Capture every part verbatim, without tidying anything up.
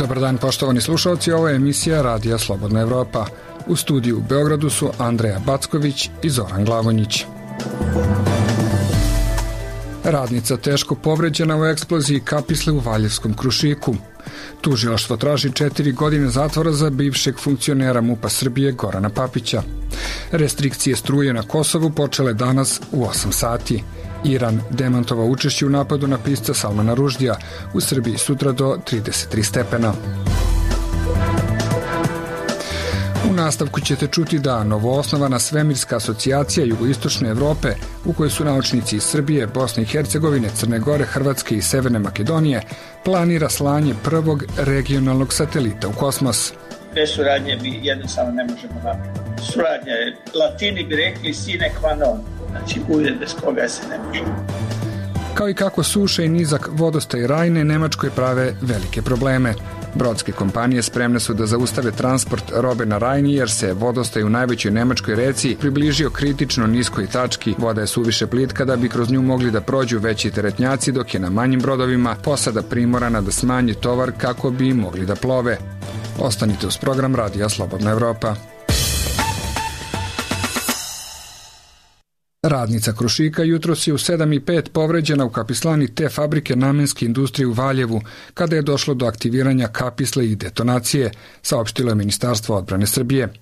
Dobar dan, poštovani slušalci, ovo je emisija Radija Slobodna Evropa. U studiju u Beogradu su Andreja Backović i Zoran Glavonjić. Radnica teško povređena u eksploziji kapisle u Valjevskom Krušiku. Tužilaštvo traži četiri godine zatvora za bivšeg funkcionera MUP-a Srbije Gorana Papića. Restrikcije struje na Kosovu počele danas u osam sati. Iran demantovao učešće u napadu na pisca Salmana Ruždija, u Srbiji sutra do trideset tri stepena. U nastavku ćete čuti da novoosnovana Svemirska asocijacija Jugoistočne Evrope, u kojoj su naučnici iz Srbije, Bosne i Hercegovine, Crne Gore, Hrvatske i Severne Makedonije, planira slanje prvog regionalnog satelita u kosmos. Bez suradnje mi jednostavno ne možemo napraviti. Suradnja je, Latini bi rekli sine qua non, znači uvijek bez koga se ne može. Kao i kako suša i nizak vodostaj Rajne Nemačkoj prave velike probleme. Brodske kompanije spremne su da zaustave transport robe na Rajni jer se vodostaj u najvećoj nemačkoj reci približio kritično niskoj tački. Voda je suviše plitka da bi kroz nju mogli da prođu veći teretnjaci, dok je na manjim brodovima posada primorana da smanji tovar kako bi mogli da plove. Ostanite uz program Radija Slobodna Evropa. Radnica Krušika jutros je u sedam i pet povređena u kapislani te fabrike namenske industrije u Valjevu, kada je došlo do aktiviranja kapisle i detonacije, saopštilo je Ministarstvo odbrane Srbije.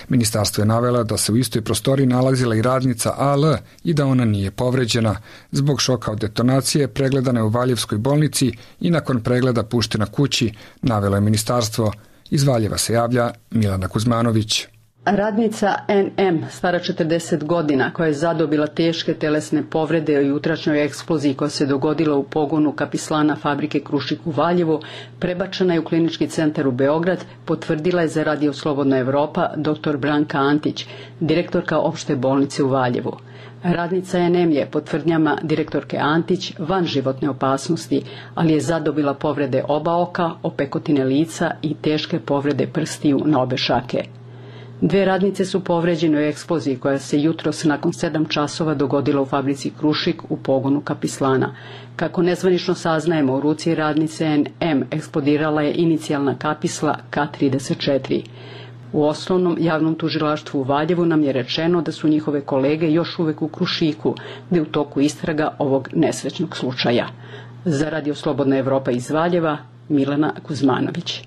Ministarstvo je navela da se u istoj prostoriji nalazila i radnica A L i da ona nije povređena. Zbog šoka od detonacije pregledana je u Valjevskoj bolnici i nakon pregleda puštena kući, navelo je Ministarstvo. Iz Valjeva se javlja Milana Kuzmanović. Radnica N M, stara četrdeset godina, koja je zadobila teške telesne povrede u jutrašnjoj eksploziji koja se dogodila u pogonu kapislana fabrike Krušik u Valjevu, prebačena je u klinički centar u Beograd, potvrdila je za Radio Slobodna Evropa dr Branka Antić, direktorka opšte bolnice u Valjevu. Radnica N M je, po tvrdnjama direktorke Antić, van životne opasnosti, ali je zadobila povrede oba oka, opekotine lica i teške povrede prstiju na obe šake. Dve radnice su povređene u eksploziji koja se jutros nakon sedam časova dogodila u fabrici Krušik u pogonu kapislana. Kako nezvanično saznajemo, u ruci radnice N M eksplodirala je inicijalna kapisla K trideset četiri. U osnovnom javnom tužilaštvu u Valjevu nam je rečeno da su njihove kolege još uvek u Krušiku, gde je u toku istraga ovog nesrećnog slučaja. Za Radio Slobodna Evropa iz Valjeva, Milana Kuzmanović.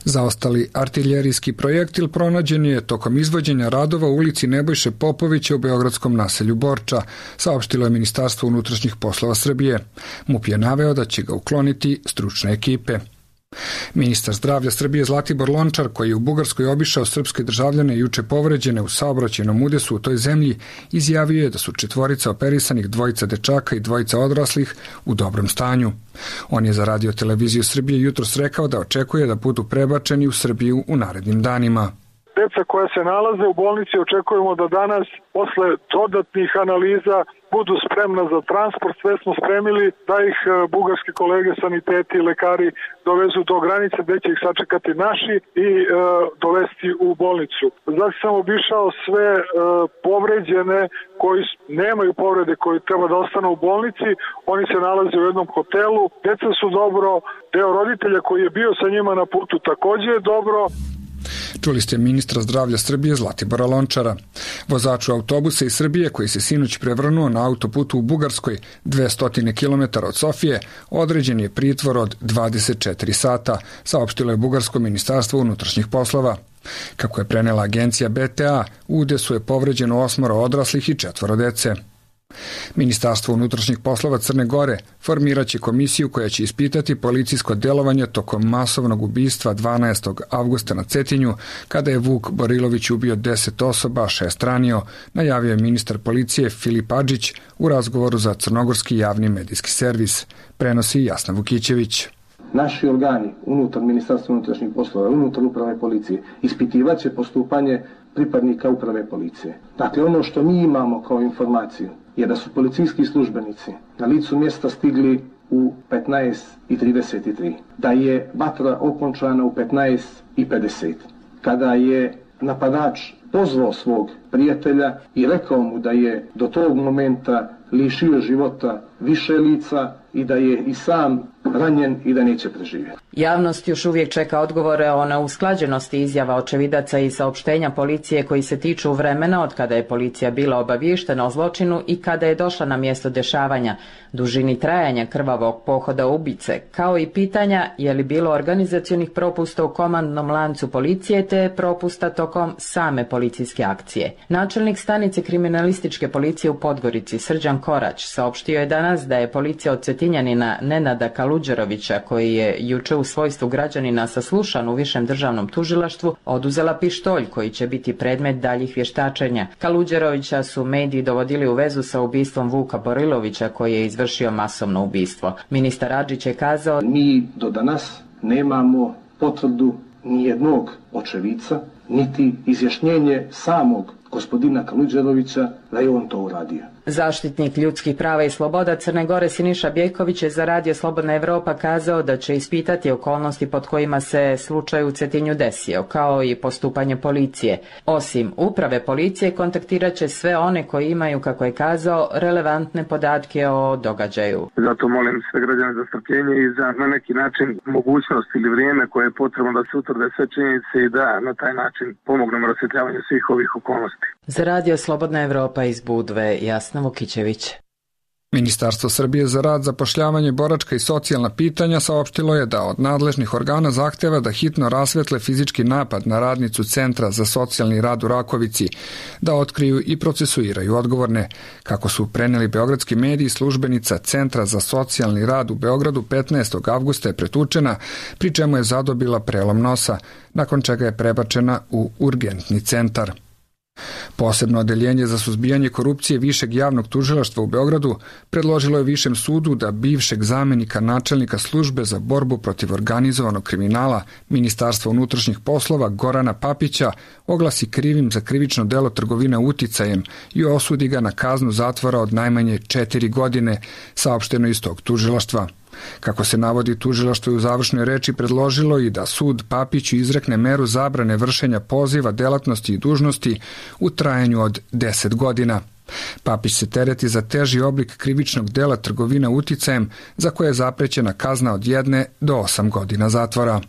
Zaostali artiljerijski projektil pronađen je tokom izvođenja radova u ulici Nebojše Popovića u beogradskom naselju Borča, saopštilo je Ministarstvo unutrašnjih poslova Srbije. MUP je naveo da će ga ukloniti stručne ekipe. Ministar zdravlja Srbije Zlatibor Lončar, koji je u Bugarskoj obišao srpske državljane juče povređene u saobraćajnom udesu u toj zemlji, izjavio je da su četvorica operisanih, dvojica dečaka i dvojica odraslih u dobrom stanju. On je za Radio Televiziju Srbije jutros rekao da očekuje da budu prebačeni u Srbiju u narednim danima. Deca koja se nalaze u bolnici očekujemo da danas, posle dodatnih analiza, budu spremna za transport. Sve smo spremili da ih bugarski kolege, saniteti i lekari dovezu do granice gde će ih sačekati naši i e, dovesti u bolnicu. Znači sam obišao sve e, povređene koji nemaju povrede, koji treba da ostanu u bolnici. Oni se nalaze u jednom hotelu. Deca su dobro, deo roditelja koji je bio sa njima na putu takođe je dobro. Čuli ste ministra zdravlja Srbije Zlatibora Lončara. Vozaču autobusa iz Srbije, koji se sinoć prevrnuo na autoputu u Bugarskoj, dvesta kilometara od Sofije, određen je pritvor od dvadeset četiri sata, saopštilo je Bugarsko ministarstvo unutrašnjih poslova. Kako je prenela agencija B T A, u udesu je povređeno osmoro odraslih i četvoro dece. Ministarstvo unutrašnjih poslova Crne Gore formiraće komisiju koja će ispitati policijsko delovanje tokom masovnog ubistva dvanaestog avgusta na Cetinju, kada je Vuk Borilović ubio deset osoba, a šest ranio, najavio je ministar policije Filip Adžić u razgovoru za crnogorski javni medijski servis. Prenosi Jasna Vukićević. Naši organi unutar Ministarstva unutrašnjih poslova, unutar uprave policije, ispitivaće postupanje pripadnika uprave policije. Dakle, ono što mi imamo kao informaciju je da su policijski službenici na licu mjesta stigli u petnaest i trideset tri, da je vatra okončana u petnaest i pedeset, kada je napadač pozvao svog prijatelja i rekao mu da je do tog momenta lišio života više lica i da je i sam ranjen i da neće preživjeti. Javnost još uvijek čeka odgovore o neusklađenosti izjava očevidaca i saopštenja policije koji se tiču vremena od kada je policija bila obaviještena o zločinu i kada je došla na mjesto dešavanja, dužini trajanja krvavog pohoda ubice, kao i pitanja je li bilo organizacionih propusta u komandnom lancu policije te propusta tokom same policijske akcije. Načelnik stanice kriminalističke policije u Podgorici, Srđan Korać, saopštio je danas da je policija od Cetinjanina Nenada Kaluđerovića, koji je juče u svojstvu građanina saslušan u Višem državnom tužilaštvu, oduzela pištolj koji će biti predmet daljih vještačenja. Kaluđerovića su mediji dovodili u vezu sa ubistvom Vuka Borilovića, koji je izvršio masovno ubistvo. Ministar Adžić je kazao: Mi do danas nemamo potvrdu nijednog očevica, niti izjašnjenje samog gospodina Kaluđerovića da je on to uradio. Zaštitnik ljudskih prava i sloboda Crne Gore Siniša Bjeković je za Radio Slobodna Evropa kazao da će ispitati okolnosti pod kojima se slučaj u Cetinju desio, kao i postupanje policije. Osim uprave policije, kontaktirat će sve one koji imaju, kako je kazao, relevantne podatke o događaju. Zato molim sve građane za strpljenje i za na neki način mogućnost ili vrijeme koje je potrebno da se utvrde sve činjenice i da na taj način pomognemo rasvjetljavanju svih ovih okolnosti. Za Radio Slobodna Evropa iz Budve, Jasna Vukićević. Ministarstvo Srbije za rad, zapošljavanje, boračka i socijalna pitanja saopštilo je da od nadležnih organa zahteva da hitno rasvetle fizički napad na radnicu Centra za socijalni rad u Rakovici, da otkriju i procesuiraju odgovorne. Kako su preneli beogradski mediji, službenica Centra za socijalni rad u Beogradu petnaestog avgusta je pretučena, pri čemu je zadobila prelom nosa, nakon čega je prebačena u urgentni centar. Posebno odeljenje za suzbijanje korupcije Višeg javnog tužilaštva u Beogradu predložilo je Višem sudu da bivšeg zamenika načelnika službe za borbu protiv organizovanog kriminala Ministarstva unutrašnjih poslova Gorana Papića oglasi krivim za krivično delo trgovine uticajem i osudi ga na kaznu zatvora od najmanje četiri godine, saopšteno iz tog tužilaštva. Kako se navodi, tužilaštvo je u završnoj reči predložilo i da sud Papiću izrekne meru zabrane vršenja poziva, delatnosti i dužnosti u trajanju od deset godina. Papić se tereti za teži oblik krivičnog dela trgovina uticajem, za koje je zaprećena kazna od jedne do osam godina zatvora.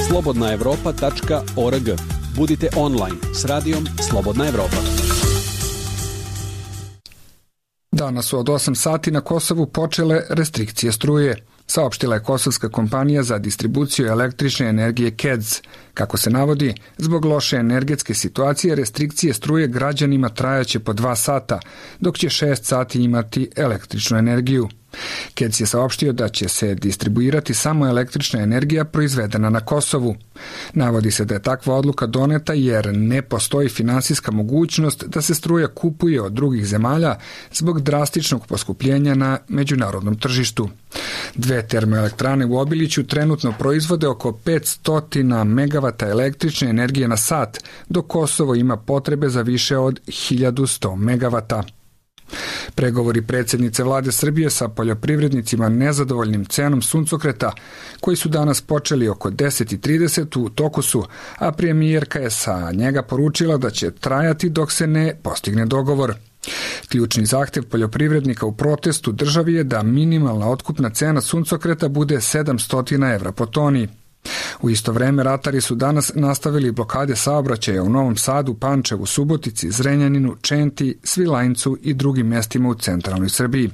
slobodna evropa tačka org. Budite online s radijom Slobodna Evropa. Danas su od osam sati na Kosovu počele restrikcije struje, saopštila je kosovska kompanija za distribuciju električne energije K E D S. Kako se navodi, zbog loše energetske situacije restrikcije struje građanima trajaće po dva sata, dok će šest sati imati električnu energiju. K E D S je saopštio da će se distribuirati samo električna energija proizvedena na Kosovu. Navodi se da je takva odluka doneta jer ne postoji finansijska mogućnost da se struja kupuje od drugih zemalja zbog drastičnog poskupljenja na međunarodnom tržištu. Dve termoelektrane u Obiliću trenutno proizvode oko petsto megavata električne energije na sat, dok Kosovo ima potrebe za više od hiljadu sto megavata. Pregovori predsjednice vlade Srbije sa poljoprivrednicima nezadovoljnim cenom suncokreta, koji su danas počeli oko deset i trideset u toku su, a premijerka je sa njega poručila da će trajati dok se ne postigne dogovor. Ključni zahtjev poljoprivrednika u protestu državi je da minimalna otkupna cena suncokreta bude sedamsto evra po toni. U isto vreme ratari su danas nastavili blokade saobraćaja u Novom Sadu, Pančevu, Subotici, Zrenjaninu, Čenti, Svilajncu i drugim mjestima u centralnoj Srbiji.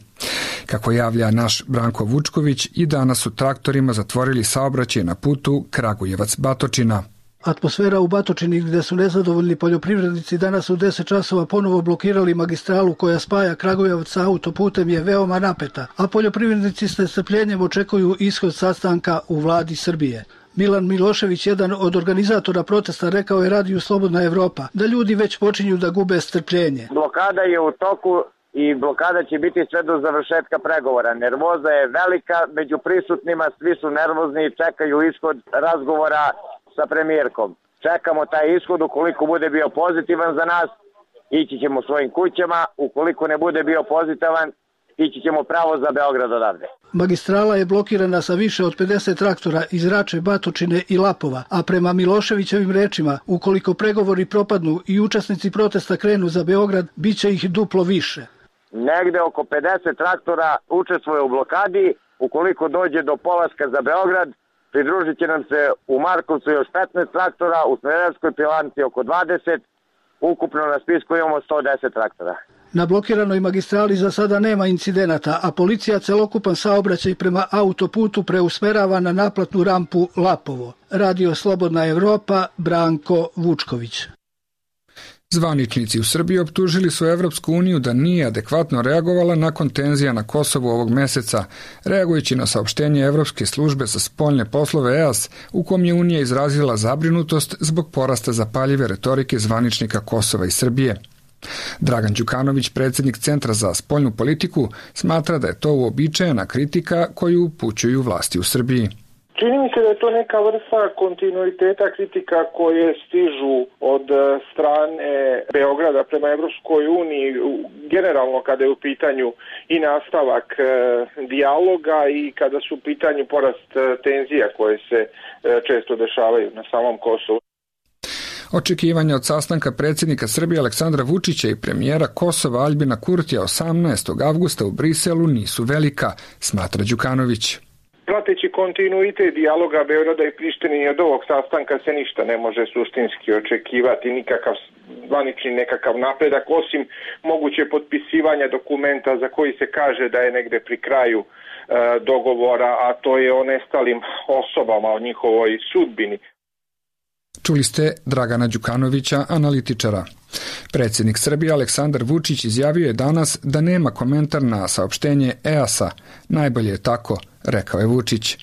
Kako javlja naš Branko Vučković, i danas su traktorima zatvorili saobraćaj na putu Kragujevac-Batočina. Atmosfera u Batočini, gdje su nezadovoljni poljoprivrednici danas u deset časova ponovo blokirali magistralu koja spaja Kragujevac sa autoputem, je veoma napeta, a poljoprivrednici s nestrpljenjem očekuju ishod sastanka u vladi Srbije. Milan Milošević, jedan od organizatora protesta, rekao je Radiju Slobodna Evropa da ljudi već počinju da gube strpljenje. Blokada je u toku i blokada će biti sve do završetka pregovora. Nervoza je velika među prisutnima, svi su nervozni i čekaju ishod razgovora sa premijerkom. Čekamo taj ishod, ukoliko bude bio pozitivan za nas, ići ćemo svojim kućama, ukoliko ne bude bio pozitivan, ići ćemo pravo za Beograd odavde. Magistrala je blokirana sa više od pedeset traktora iz Rače, Batočine i Lapova, a prema Miloševićevim rečima, ukoliko pregovori propadnu i učesnici protesta krenu za Beograd, bit će ih duplo više. Negde oko pedeset traktora učestvuje u blokadi, ukoliko dođe do polaska za Beograd, Pridružit će nam se u Markovcu još petnaest traktora, u Smederevskoj Pilanci oko dvadeset, ukupno na spisku imamo sto deset traktora. Na blokiranoj magistrali za sada nema incidenata, a policija celokupan saobraćaj prema autoputu preusmerava na naplatnu rampu Lapovo. Radio Slobodna Evropa, Branko Vučković. Zvaničnici u Srbiji optužili su Evropsku uniju da nije adekvatno reagovala nakon tenzija na Kosovu ovog meseca, reagujući na saopštenje Evropske službe za spoljne poslove E A S, u kom je Unija izrazila zabrinutost zbog porasta zapaljive retorike zvaničnika Kosova i Srbije. Dragan Đukanović, predsjednik Centra za spoljnu politiku, smatra da je to uobičajena kritika koju upućuju vlasti u Srbiji. Čini mi se da je to neka vrsta kontinuiteta kritika koje stižu od strane Beograda prema Evropskoj uniji, generalno kada je u pitanju i nastavak e, dijaloga i kada su u pitanju porast tenzija koje se e, često dešavaju na samom Kosovu. Očekivanja od sastanka predsjednika Srbije Aleksandra Vučića i premijera Kosova Aljbina Kurtija osamnaestog avgusta u Briselu nisu velika, smatra Đukanović. Prateći kontinuitet dijaloga Beograda i Prištine i od ovog sastanka se ništa ne može suštinski očekivati, nikakav zvanični nekakav napredak, osim moguće potpisivanja dokumenta za koji se kaže da je negde pri kraju e, dogovora, a to je o nestalim osobama, o njihovoj sudbini. Čuli ste Dragana Đukanovića, analitičara. Predsjednik Srbije Aleksandar Vučić izjavio je danas da nema komentar na saopštenje E A S-a. Najbolje je tako, rekao je Vučić.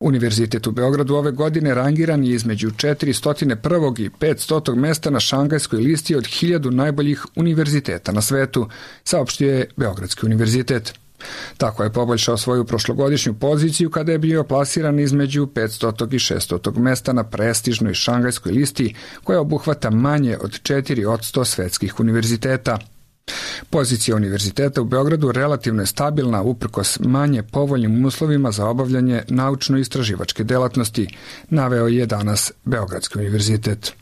Univerzitet u Beogradu ove godine rangiran je između četiristo prvog i petstotog mesta na Šangajskoj listi od hiljadu najboljih univerziteta na svetu, saopštio je Beogradski univerzitet. Tako je poboljšao svoju prošlogodišnju poziciju kada je bio plasiran između petstotog i šeststotog mesta na prestižnoj Šangajskoj listi koja obuhvata manje od četiri posto svetskih univerziteta. Pozicija univerziteta u Beogradu relativno je stabilna uprkos manje povoljnim uslovima za obavljanje naučno-istraživačke delatnosti, naveo je danas Beogradski univerzitet.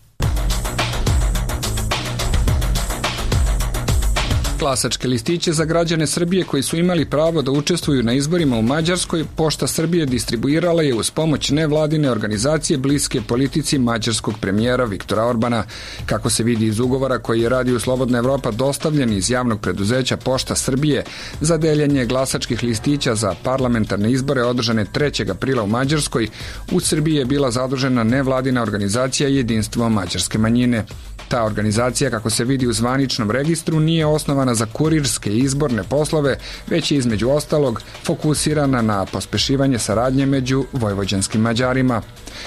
Glasačke listiće za građane Srbije koji su imali pravo da učestvuju na izborima u Mađarskoj, Pošta Srbije distribuirala je uz pomoć nevladine organizacije bliske politici mađarskog premijera Viktora Orbana. Kako se vidi iz ugovora koji je Radio Slobodna Evropa dostavljen iz javnog preduzeća Pošta Srbije za deljenje glasačkih listića za parlamentarne izbore održane trećeg aprila u Mađarskoj, u Srbiji je bila zadužena nevladina organizacija Jedinstvo mađarske manjine. Ta organizacija, kako se vidi u zvaničnom registru, nije osnovana za kurirske izborne poslove, već je između ostalog fokusirana na pospešivanje saradnje među vojvođanskim Mađarima.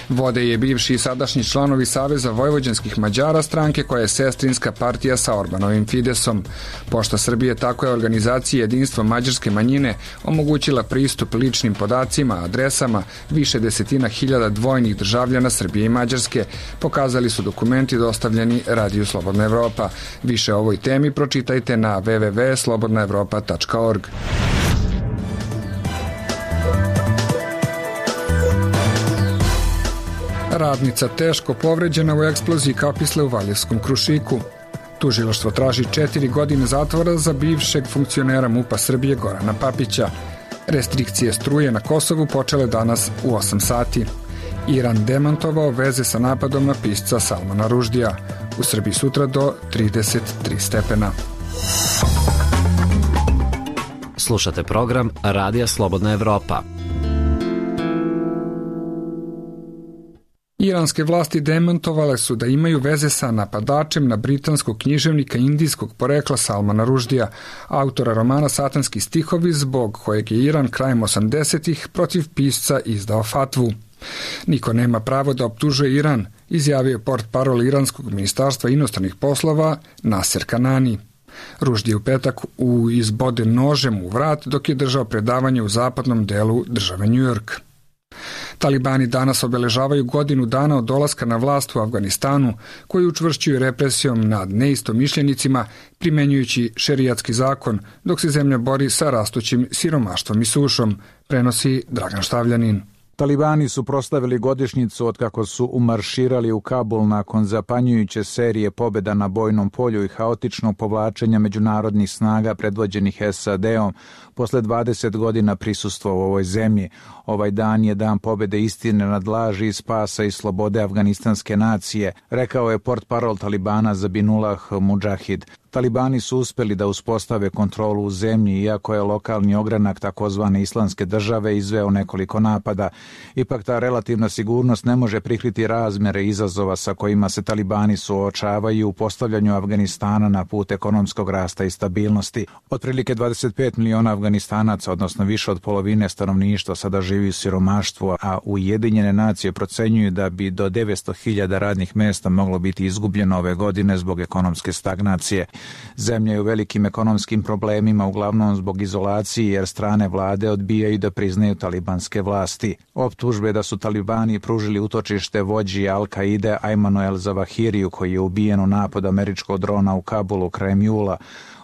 Vode je bivši i sadašnji članovi Saveza vojvođanskih Mađara, stranke koja je sestrinska partija sa Orbanovim Fidesom. Pošta Srbije tako je organizaciji Jedinstvo mađarske manjine omogućila pristup ličnim podacima, adresama više desetina hiljada dvojnih državljana Srbije i Mađarske, pokazali su dokumenti dostavljeni Radio Slobodna Evropa. Više o ovoj temi pročitajte na w w w tačka slobodna evropa tačka org. Radnica teško povređena u eksploziji kapisle u Valjevskom Krušiku. Tužilaštvo traži četiri godine zatvora za bivšeg funkcionera MUP-a Srbije Gorana Papića. Restrikcije struje na Kosovu počele danas u osam sati. Iran demantovao veze sa napadom na pisca Salmana Ruždija. U Srbiji sutra do trideset tri stepena. Slušate program Radija Slobodna Evropa. Iranske vlasti demantovale su da imaju veze sa napadačem na britanskog književnika indijskog porekla Salmana Ruždija, autora romana Satanski stihovi, zbog kojeg je Iran krajem osamdesetih protiv pisca izdao fatvu. Niko nema pravo da optužuje Iran, izjavio portparol iranskog ministarstva inostranih poslova Naser Kanani. Ruždi je u petak u izbode nožem u vrat dok je držao predavanje u zapadnom delu države New York. Talibani danas obeležavaju godinu dana od dolaska na vlast u Afganistanu, koji učvršćuju represijom nad neistomišljenicima, primenjujući šerijatski zakon, dok se zemlja bori sa rastućim siromaštvom i sušom, prenosi Dragan Štavljanin. Talibani su proslavili godišnjicu od kako su umarširali u Kabul nakon zapanjujuće serije pobjeda na bojnom polju i haotičnog povlačenja međunarodnih snaga predvođenih S A D-om posle dvadeset godina prisustva u ovoj zemlji. Ovaj dan je dan pobjede istine nad laži, spasa i slobode afganistanske nacije, rekao je portparol Talibana Zabihullah Mujahid. Talibani su uspjeli da uspostave kontrolu u zemlji, iako je lokalni ogranak takozvane islamske države izveo nekoliko napada. Ipak ta relativna sigurnost ne može prikriti razmjere izazova sa kojima se Talibani suočavaju u postavljanju Afganistana na put ekonomskog rasta i stabilnosti. Otprilike dvadeset pet miliona Afganistanaca, odnosno više od polovine stanovništva, sada živi u siromaštvu, a Ujedinjene nacije procenjuju da bi do devetsto hiljada radnih mjesta moglo biti izgubljeno ove godine zbog ekonomske stagnacije. Zemlja je u velikim ekonomskim problemima, uglavnom zbog izolacije, jer strane vlade odbijaju da priznaju talibanske vlasti. Optužbe da su Talibani pružili utočište vođi Al-Kaide Ajmanu el-Zawahiriju, koji je ubijen u napadu američkog drona u Kabulu krajem jula,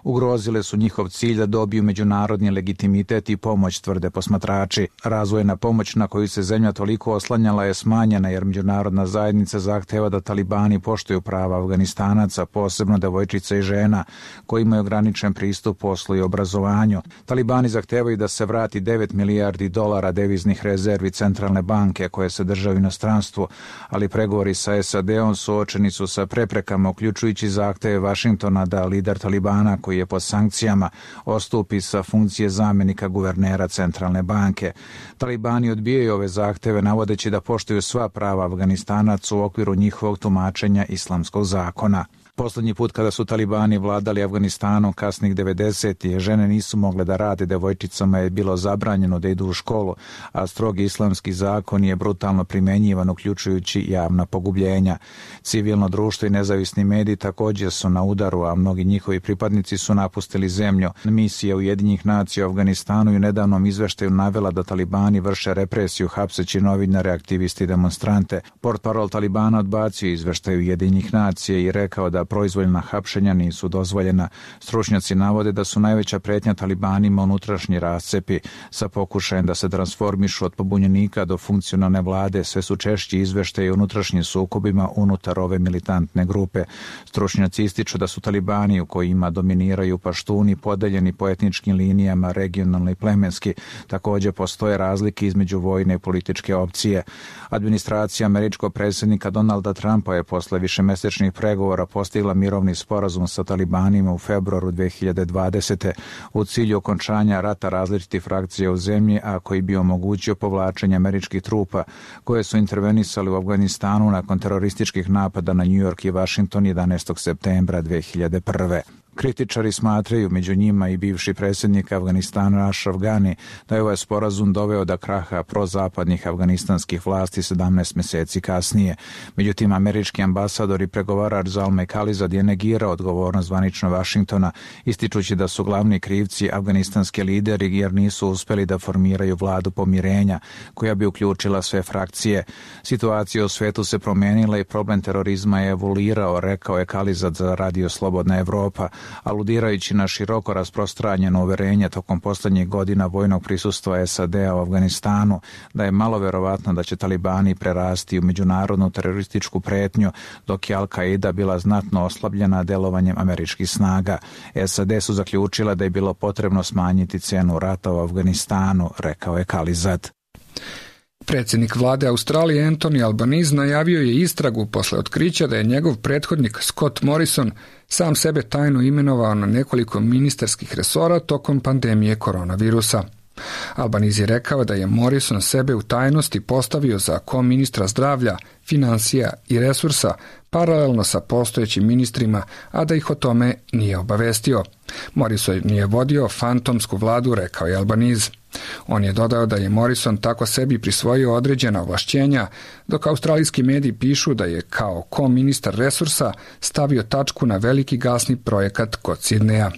ugrozile su njihov cilj da dobiju međunarodni legitimitet i pomoć, tvrde posmatrači. Razvojna pomoć na koju se zemlja toliko oslanjala je smanjena, jer međunarodna zajednica zahteva da Talibani poštuju prava Afganistanaca, posebno devojčica i žena, koji imaju ograničen pristup poslu i obrazovanju. Talibani zahtevaju da se vrati devet milijardi dolara deviznih rezervi centralne banke koje se drže u inostranstvu, ali pregovori sa S A D-om suočeni su sa preprekama, uključujući zahteve Vašingtona da lider Talibana, koji je pod sankcijama, ostupi sa funkcije zamjenika guvernera centralne banke. Talibani odbijaju ove zahteve navodeći da poštuju sva prava Afganistanaca u okviru njihovog tumačenja islamskog zakona. Poslednji put kada su Talibani vladali Afganistanom kasnih devedesetih, žene nisu mogle da rade, devojčicama je bilo zabranjeno da idu u školu, a strogi islamski zakon je brutalno primenjivan, uključujući javna pogubljenja. Civilno društvo i nezavisni mediji također su na udaru, a mnogi njihovi pripadnici su napustili zemlju. Misija Ujedinjenih nacija u Afganistanu i u nedavnom izveštaju navela da Talibani vrše represiju hapseći novinare, aktiviste i demonstrante. Portparol Talibana odbacio izveštaj Ujedinjenih nacija i rekao da proizvoljna hapšenja nisu dozvoljena. Stručnjaci navode da su najveća pretnja Talibanima unutrašnji rascepi sa pokušajem da se transformišu od pobunjenika do funkcionalne vlade. Sve su češći izveštaji o unutrašnjim sukobima unutar ove militantne grupe. Stručnjaci ističu da su Talibani, u kojima dominiraju paštuni, podeljeni po etničkim linijama, regionalno i plemenski. Također postoje razlike između vojne i političke opcije. Administracija američkog predsjednika Donalda Trumpa je posle višemesečnih pregovora postigla mirovni sporazum sa Talibanima u februaru dve hiljade dvadesete u cilju okončanja rata različitih frakcija u zemlji, a koji bi omogućio povlačenje američkih trupa koje su intervenisali u Afganistanu nakon terorističkih napada na New York i Washington jedanaestog septembra dve hiljade prve. Kritičari smatraju, među njima i bivši predsjednik Afganistana Ashraf Ghani, da je ovaj sporazum doveo do kraha prozapadnih afganistanskih vlasti sedamnaest mjeseci kasnije. Međutim, američki ambasador i pregovarač Zalmay Khalilzad je negirao odgovornost zvanično Vašingtona, ističući da su glavni krivci afganistanski lideri jer nisu uspjeli da formiraju vladu pomirenja koja bi uključila sve frakcije. Situacija u svetu se promijenila i problem terorizma je evoluirao, rekao je Khalilzad za Radio Slobodna Evropa, aludirajući na široko rasprostranjeno uverenje tokom posljednjih godina vojnog prisustva S A D-a u Afganistanu da je malo verovatno da će Talibani prerasti u međunarodnu terorističku pretnju, dok je Al-Kaida bila znatno oslabljena delovanjem američkih snaga. S A D su zaključila da je bilo potrebno smanjiti cenu rata u Afganistanu, rekao je Khalilzad. Predsjednik vlade Australije Anthony Albanese najavio je istragu posle otkrića da je njegov prethodnik Scott Morrison sam sebe tajno imenovao na nekoliko ministarskih resora tokom pandemije koronavirusa. Albanese je rekao da je Morrison sebe u tajnosti postavio za koministra zdravlja, financija i resursa, paralelno sa postojećim ministrima, a da ih o tome nije obavestio. Morrison nije vodio fantomsku vladu, rekao je Albanese. On je dodao da je Morrison tako sebi prisvojio određena ovlašćenja, dok australijski mediji pišu da je kao ko-ministar resursa stavio tačku na veliki gasni projekat kod Sidneja.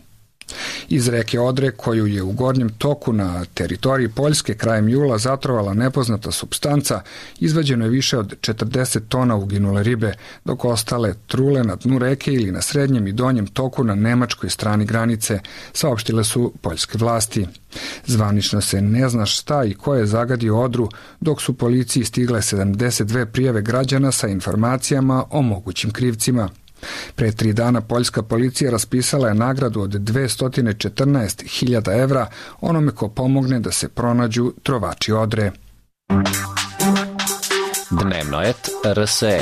Iz reke Odre, koju je u gornjem toku na teritoriji Poljske krajem jula zatrovala nepoznata supstanca, izvađeno je više od četrdeset tona uginule ribe, dok ostale trule na dnu reke ili na srednjem i donjem toku na nemačkoj strani granice, saopštile su poljske vlasti. Zvanično se ne zna šta i ko je zagadio Odru, dok su policiji stigle sedamdeset dve prijave građana sa informacijama o mogućim krivcima. Pre tri dana poljska policija raspisala je nagradu od dvesta četrnaest hiljada evra onome ko pomogne da se pronađu trovači Odre. Dnevnoet R S E.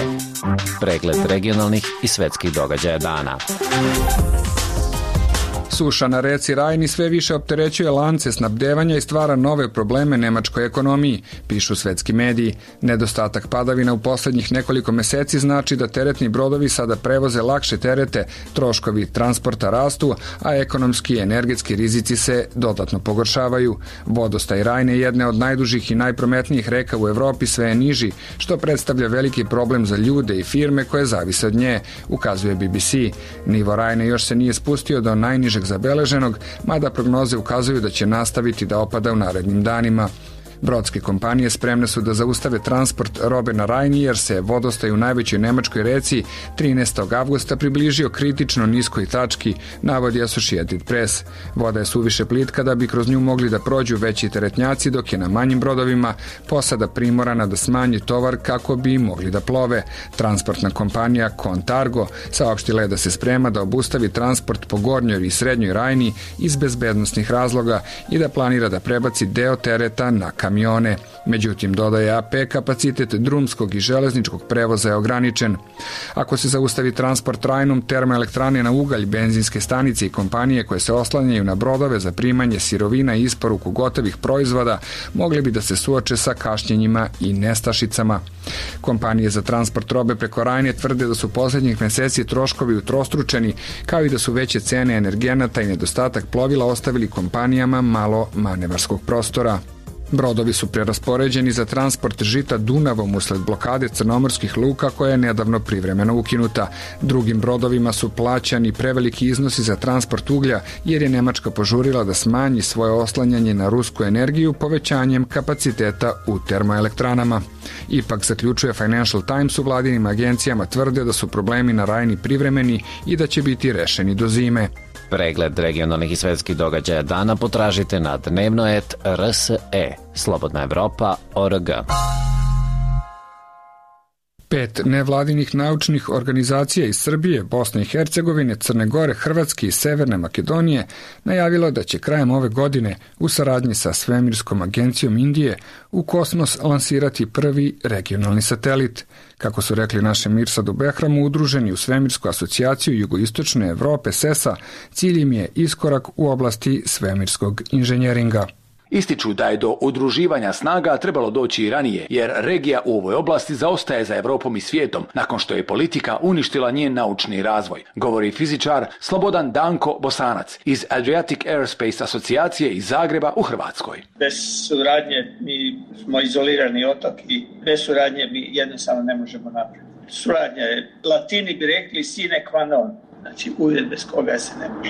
Pregled regionalnih i svetskih događaja dana. Suša na reci Rajni sve više opterećuje lance snabdevanja i stvara nove probleme nemačkoj ekonomiji, pišu svetski mediji. Nedostatak padavina u poslednjih nekoliko meseci znači da teretni brodovi sada prevoze lakše terete, troškovi transporta rastu, a ekonomski i energetski rizici se dodatno pogoršavaju. Vodostaj Rajne, jedne od najdužih i najprometnijih reka u Evropi, sve je niži, što predstavlja veliki problem za ljude i firme koje zavise od nje, ukazuje B B C. Nivo Rajne još se nije spustio do najnižeg zabeleženog, mada prognoze ukazuju da će nastaviti da opada u narednim danima. Brodske kompanije spremne su da zaustave transport robe na Rajni jer se vodostaj u najvećoj nemačkoj reci trinaestog avgusta približio kritično niskoj tački, navodi Associated Press. Voda je suviše plitka da bi kroz nju mogli da prođu veći teretnjaci, dok je na manjim brodovima posada primorana da smanji tovar kako bi mogli da plove. Transportna kompanija Contargo saopštila je da se sprema da obustavi transport po gornjoj i srednjoj Rajni iz bezbednosnih razloga i da planira da prebaci deo tereta na kamione. Međutim, dodaje A P, kapacitet drumskog i železničkog prevoza je ograničen. Ako se zaustavi transport Rajnom, termoelektrane na ugalj, benzinske stanice i kompanije koje se oslanjaju na brodove za primanje sirovina i isporuku gotovih proizvoda mogli bi da se suoče sa kašnjenjima i nestašicama. Kompanije za transport robe preko Rajne tvrde da su poslednjih meseci troškovi utrostručeni, kao i da su veće cene energenata i nedostatak plovila ostavili kompanijama malo manevarskog prostora. Brodovi su preraspoređeni za transport žita Dunavom usled blokade crnomorskih luka koja je nedavno privremeno ukinuta. Drugim brodovima su plaćani preveliki iznosi za transport uglja jer je Nemačka požurila da smanji svoje oslanjanje na rusku energiju povećanjem kapaciteta u termoelektranama. Ipak, zaključuje Financial Times, u vladinim agencijama tvrde da su problemi na Rajni privremeni i da će biti rešeni do zime. Pregled regionalnih i svetskih događaja dana potražite na dnevnoet R S E. Slobodna Evropa O R G. Pet nevladinih naučnih organizacija iz Srbije, Bosne i Hercegovine, Crne Gore, Hrvatske i Severne Makedonije najavilo da će krajem ove godine u saradnji sa Svemirskom agencijom Indije u kosmos lansirati prvi regionalni satelit. Kako su rekli našem Mirsadu Behramu, udruženi u Svemirsku asocijaciju Jugoistočne Evrope S E S A, cilj im je iskorak u oblasti svemirskog inženjeringa. Ističu da je do udruživanja snaga trebalo doći i ranije, jer regija u ovoj oblasti zaostaje za Evropom i svijetom, nakon što je politika uništila njen naučni razvoj, govori fizičar Slobodan Danko Bosanac iz Adriatic Aerospace asocijacije iz Zagreba u Hrvatskoj. Bez suradnje mi smo izolirani otok i bez suradnje mi jednostavno ne možemo naprijed. Suradnja je, Latini bi rekli sine qua non. Znači, uvjet bez koga se ne može.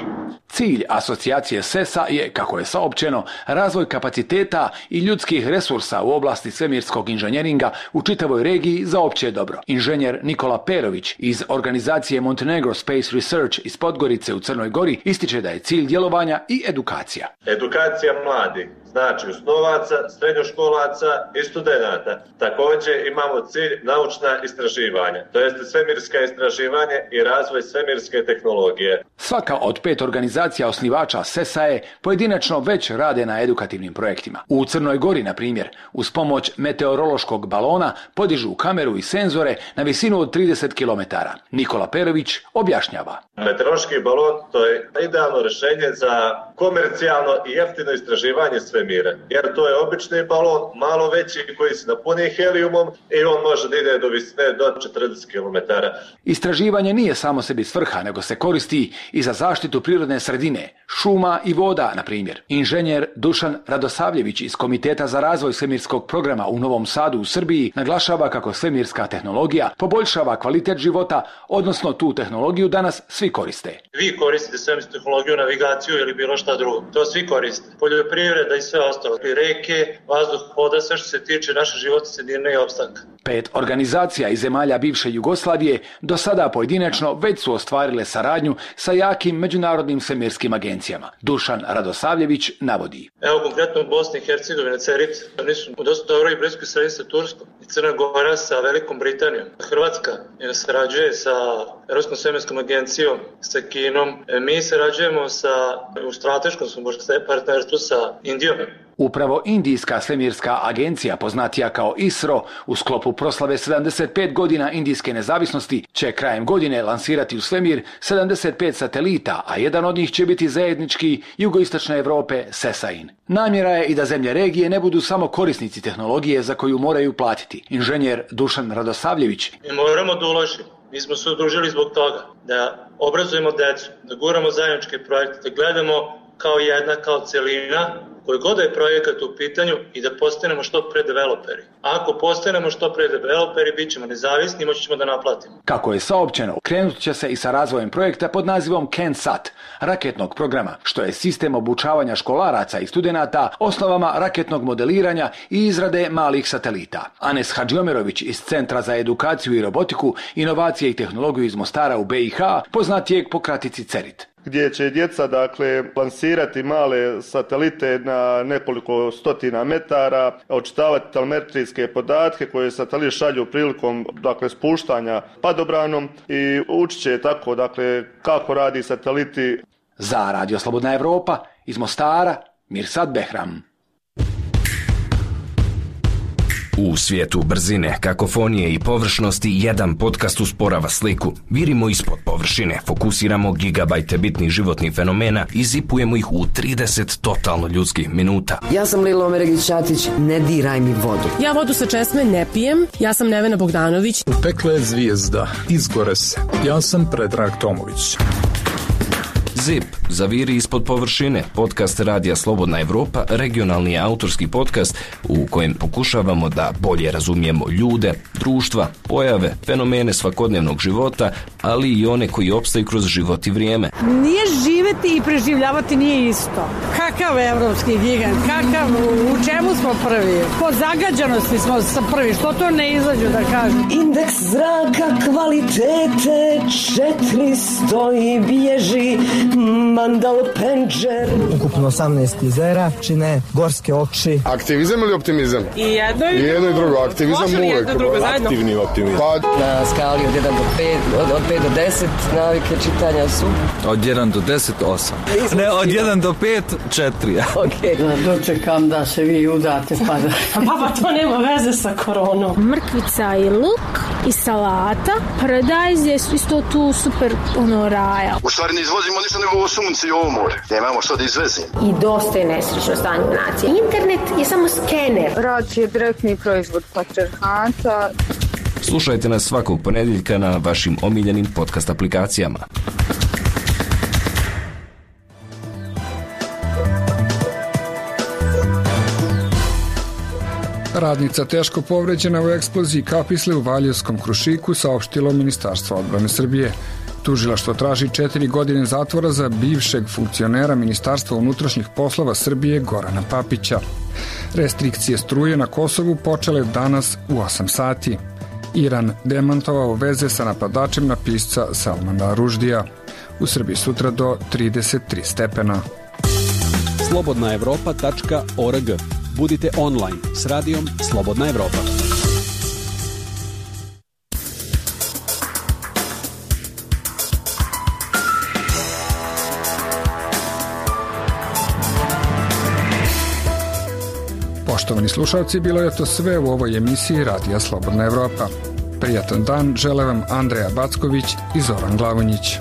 Cilj asocijacije S E S A je, kako je saopćeno, razvoj kapaciteta i ljudskih resursa u oblasti svemirskog inženjeringa u čitavoj regiji za opće dobro. Inženjer Nikola Perović iz organizacije Montenegro Space Research iz Podgorice u Crnoj Gori ističe da je cilj djelovanja i edukacija. Edukacija mladih, znači osnovaca, srednjoškolaca i studenata. Također imamo cilj naučna istraživanja, to jest svemirska istraživanje i razvoj svemirske tehnologije. Svaka od pet organizacija osnivača S E S A je pojedinačno već rade na edukativnim projektima. U Crnoj Gori, na primjer, uz pomoć meteorološkog balona podižu kameru i senzore na visinu od trideset kilometara. Nikola Perović objašnjava. Meteorološki balon to je idealno rješenje za komercijalno i jeftino istraživanje svemira. Jer to je obični balon, malo veći koji se napuni helijumom i on može da ide do visine do četrdeset kilometara. Istraživanje nije samo sebi svrha, nego se koristi i za zaštitu prirodne sredine, šuma i voda, na primjer. Inženjer Dušan Radosavljević iz Komiteta za razvoj svemirskog programa u Novom Sadu u Srbiji naglašava kako svemirska tehnologija poboljšava kvalitet života, odnosno tu tehnologiju danas svi koriste. Vi koristite svemirsku tehnologiju, navigaciju ili bilo šta drugo. To svi koriste. Poljoprivreda i sve ostalo. I reke, vazduh, voda, sve što se tiče naše životne sredine i opstanka. Pet organizacija iz zemalja bivše Jugoslavije do sada pojedinačno već su ostvarile saradnju sa jakim međunarodnim svemirskim agencijama. Dušan Radosavljević navodi. Evo konkretno u Bosni i Hercegovini, CERIT, oni su u dosta dobroj i bliskoj sredini sa Turskom i Crna Gora sa Velikom Britanijom. Hrvatska sarađuje sa Europskom svemirskom agencijom, sa Kinom. Mi sarađujemo sa, u strateškom partnerstvu sa Indijom. Upravo Indijska svemirska agencija, poznatija kao ISRO, u sklopu proslave sedamdeset pet godina indijske nezavisnosti, će krajem godine lansirati u svemir sedamdeset pet satelita, a jedan od njih će biti zajednički jugoistočne Evrope SESAIN. Namjera je i da zemlje regije ne budu samo korisnici tehnologije za koju moraju platiti. Inženjer Dušan Radosavljević. Mi moramo da uložimo. Mi smo se udružili zbog toga da obrazujemo decu, da guramo zajedničke projekte, da gledamo kao jedna, kao celina, koji god je projekat u pitanju i da postanemo što pre developeri. Ako postanemo što pre developeri, bit ćemo nezavisni i moći ćemo da naplatimo. Kako je saopćeno, krenut će se i sa razvojem projekta pod nazivom CANSAT, raketnog programa, što je sistem obučavanja školaraca i studenata osnovama raketnog modeliranja i izrade malih satelita. Anes Hadžiomerović iz Centra za edukaciju i robotiku, inovacije i tehnologiju iz Mostara u B i H, poznat je po kratici CERIT. Gdje će djeca dakle lansirati male satelite na nekoliko stotina metara, očitavati telemetrijske podatke koje satelit šalju prilikom dakle spuštanja padobranom i učit će tako dakle kako radi sateliti. Za Radio Slobodna Evropa iz Mostara Mirsad Behram. U svijetu brzine, kakofonije i površnosti jedan podcast usporava sliku. Virimo ispod površine, fokusiramo gigabajte bitnih životnih fenomena i zipujemo ih u trideset totalno ljudskih minuta. Ja sam Lila Omeregić-Ćatić, ne diraj mi vodu. Ja vodu sa česme ne pijem, ja sam Nevena Bogdanović. Pekla je zvijezda, izgore se. Ja sam Predrag Tomović. Zip, zaviri ispod površine, podcast Radija Slobodna Evropa, regionalni autorski podcast u kojem pokušavamo da bolje razumijemo ljude, društva, pojave, fenomene svakodnevnog života, ali i one koji opstaju kroz život i vrijeme. Nije živeti i preživljavati nije isto. Kakav evropski gigant, kakav, u čemu smo prvi? Po zagađanosti smo prvi, što to ne izađu da kažem? Indeks zraka kvalitete četiristo i bježi Mandal Penđer. Ukupno osamnaest jezera čine gorske oči. Aktivizam ili optimizam? I jedno i, I jedno i drugo. Aktivizam uvek. Aktivni optimizam. Pa... Na skali od jedan do pet, od, od pet do deset navike čitanja su? Od jedan do deset, osam. Ne, od jedan do pet, četiri. Okej. Okay. Dočekam da se vi udate pa da... Baba, to nema veze sa koronom. Mrkvica i luk i salata. Paradajz je isto tu super ono raja. U stvari ne izvozimo ništa nego ovo sunce i ovo more. Nemamo što da izvezimo. I dosta je nesrećno stanje nacije. Internet je samo skener. Rad je direktni proizvod patriarhata. Slušajte nas svakog ponedjeljka na vašim omiljenim podcast aplikacijama. Radnica teško povređena u eksploziji kapisle u Valjevskom Krušiku, saopštilo Ministarstvo odbrane Srbije. Tužilaštvo traži četiri godine zatvora za bivšeg funkcionera Ministarstva unutrašnjih poslova Srbije Gorana Papića. Restrikcije struje na Kosovu počele danas u osam sati. Iran demantovao veze sa napadačem na pisca Salmana Ruždija. U Srbiji sutra do trideset tri stepena. slobodna evropa tačka org. Budite online s radijom Slobodna Evropa. Poštovani slušalci, bilo je to sve u ovoj emisiji Radija Slobodna Evropa. Prijatan dan žele vam Andreja Backović i Zoran Glavonjić.